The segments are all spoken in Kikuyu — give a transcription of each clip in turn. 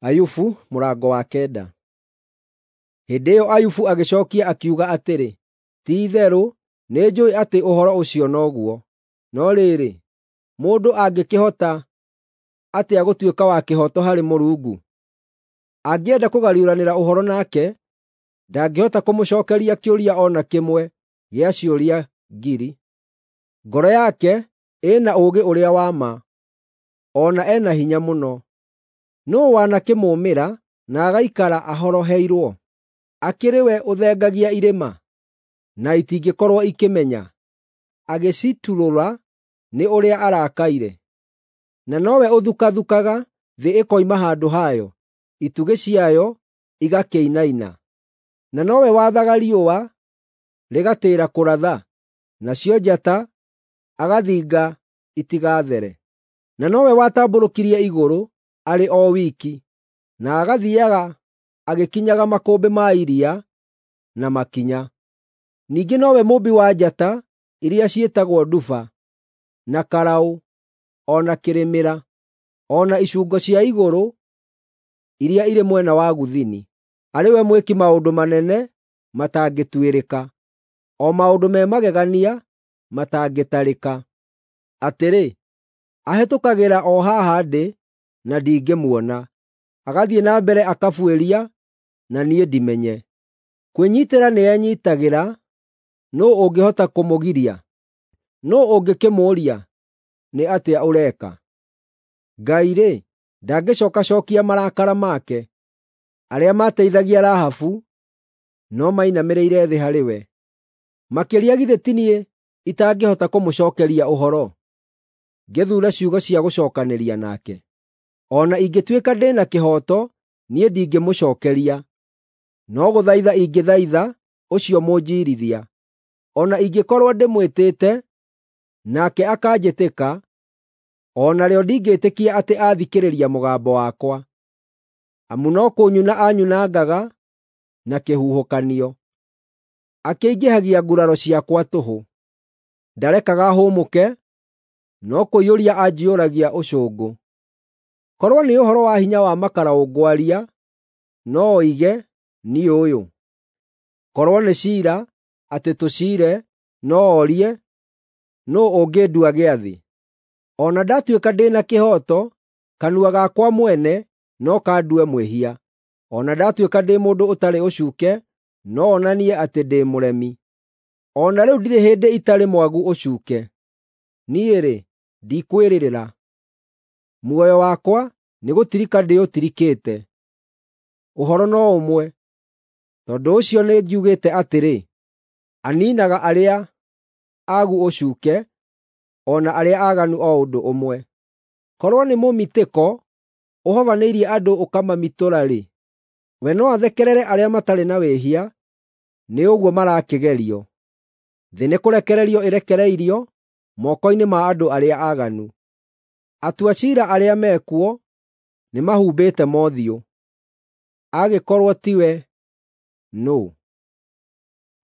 Ayubu mũrango wa kenda. Hĩndĩ ĩyo Ayubu agĩcookia akiuga atĩrĩ, “Ti-itherũ nĩnjũũĩ atĩ ũhoro ũcio noguo. No rĩrĩ, mũndũ angĩkĩhota atĩa gũtuĩka wa kĩhooto harĩ Mũrungu? Angĩenda kũgariũranĩra ũhoro nake, ndangĩhota kũmũcookeria kĩũria o na kĩmwe gĩa ciũria ngiri. Ngoro yake ĩna ũũgĩ ũrĩa wa ma, o na ena hinya mũno. Nũũ wanakĩmũũmĩra na agaikara ahoroheirwo? Akĩrĩ we ũthengagia irĩma, na itingĩkorwo ikĩmenya, agĩciturũra nĩ ũrĩa arakaire? Na nowe ũthukathukaga thĩ ĩkoima handũ hayo, itugĩ ciayo igakĩinaina. Na nowe wathaga riũa rĩgatĩĩra kũratha, nacio njata agathinga itigathere. Na nowe watambũrũkirie igũrũ arĩ o wiki, na agathiiaga agĩkinyaga makũmbĩ ma iria na makinya. Ningĩ nowe mũũmbi wa njata iria ciĩtagwo Nduba, na Karaũ, o na Kĩrĩmĩra, o na icungo cia igũrũ iria irĩ mwena wa gũthini. Arĩ we mwĩki maũndũ manene matangĩtuĩrĩka, o maũndũ me magegania matangĩtarĩka. Atĩrĩ, ahĩtũkagĩra o haha ndĩ na ndingĩmuona, agathiĩ na mbere akabuĩria na niĩ ndimenye. Kwĩnyiitĩra nĩenyiitagĩra, nũũ ũngĩhota kũmũgiria? Nũũ ũngĩkĩmũũria, ‘Nĩ atĩa ũreka?’ Ngai-rĩ, ndangĩcookacookia marakara make; arĩa maateithagia Rahabu no mainamĩrĩire thĩ harĩ we. Makĩria githĩ ti niĩ itangĩhota kũmũcookeria ũhoro, ngĩthuure ciugo cia gũcookanĩria nake? O na ingĩtuĩka ndĩ na kĩhooto, niĩ ndingĩmũcookeria, no gũthaitha ingĩthaitha ũcio mũnjiirithia. O na ingĩkorwo ndĩmwĩtĩte, nake akanjĩtĩka, o narĩo ndingĩĩtĩkia atĩ aathikĩrĩria mũgambo wakwa. Amu no kũnyuna anyunangaga na kĩhuhũkanio, akĩingĩhagia nguraro ciakwa tũhũ. Ndarekaga hũmũke, no kũiyũria anjiyũragia ũcũngũ. Korwo nĩ ũhoro wa hinya wa makaraũ ngwaria, no oige, ‘Niĩ ũyũ.’ Korwo nĩ ciira, atĩ tũciire, no orie, ‘Nũũ ũngĩndua gĩathĩ?’ O na ndatuĩka ndĩ na kĩhooto, kanua gakwa mwene no kandue mwĩhia; o na ndatuĩka ndĩ mũndũ ũtarĩ ũcuuke, no onanie atĩ ndĩ mũremi. O na rĩu ndirĩ hĩndĩ itarĩ mwagu ũcuuke; niĩ-rĩ, ndikwĩrĩrĩra. Muoyo wakwa nĩgũtirika ndĩũtirikĩte. Ũhoro no ũmwe, tondũ ũcio nĩngiugĩte atĩrĩ, ‘Aniinaga arĩa aagu ũcuuke o na arĩa aaganu o ũndũ ũmwe.’ Korwo nĩ mũmitĩko ũhobanĩirie andũ ũkamamitũra-rĩ, we no athekerere arĩa matarĩ na wĩhia nĩ ũguo marakĩgerio. Thĩ nĩkũrekererio ĩrekereirio moko-inĩ ma andũ arĩa aaganu. Atua ciira arĩa mekuo nĩmahumbĩte mothiũ. Agĩkorwo tiwe, nũũ?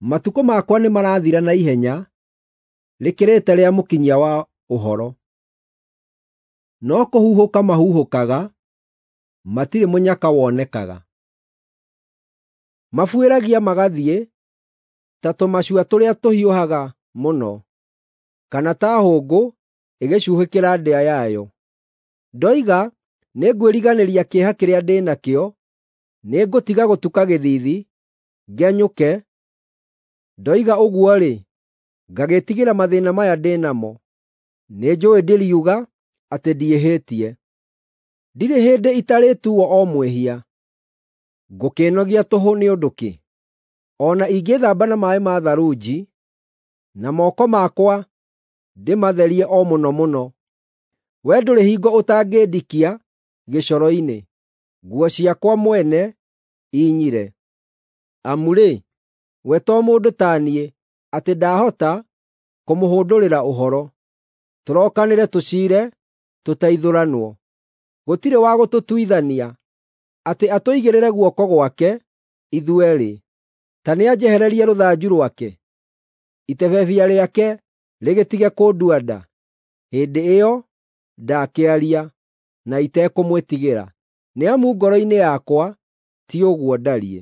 Matukũ makwa nĩmarathira na ihenya rĩkĩrĩte rĩa mũkinyia wa ũhoro. No kũhuhũka mahuhũkaga, matirĩ mũnyaka wonekaga. Mabuĩragia magathiĩ ta tũmacua tũrĩa tũhiũhaga mũno, kana ta hũngũ ĩgĩcuuhĩkĩra ndĩa yayo. Ndoiga, “Nĩngwĩriganĩria kĩeha kĩrĩa ndĩ nakĩo, nĩngũtiga gũtuka gĩthiithi, ngenyũke,” ndoiga ũguo-rĩ, ngagĩĩtigĩra mathĩĩna maya ndĩ namo. Nĩnjũũĩ ndĩriuga atĩ ndiĩhĩtie. Ndirĩ hĩndĩ itarĩtuuo o mwĩhia. Ngũkĩĩnogia tũhũ nĩ ũndũ kĩ? O na ingĩĩthamba na maaĩ ma tharunji, na moko makwa ndĩmatherie o mũno mũno, wee ndũrĩ hingo ũtangĩndikia gĩcoro-inĩ, nguo ciakwa mwene inyire. Amu-rĩ, we to mũndũ ta niĩ, atĩ ndahota kũmũhũndũrĩra ũhoro. Tũrokanĩre tũciire, tũteithũranwo. Gũtirĩ wa gũtũtuithania, atĩ atũigĩrĩre guoko gwake ithuerĩ. Ta nĩanjehererie rũthanju rwake, itebebia rĩake rĩgĩtige kũndua nda. Hĩndĩ ĩyo ndakĩaria, na itekũmwĩtigĩra. Nĩ amu ngoro-inĩ yakwa ti ũguo ndariĩ.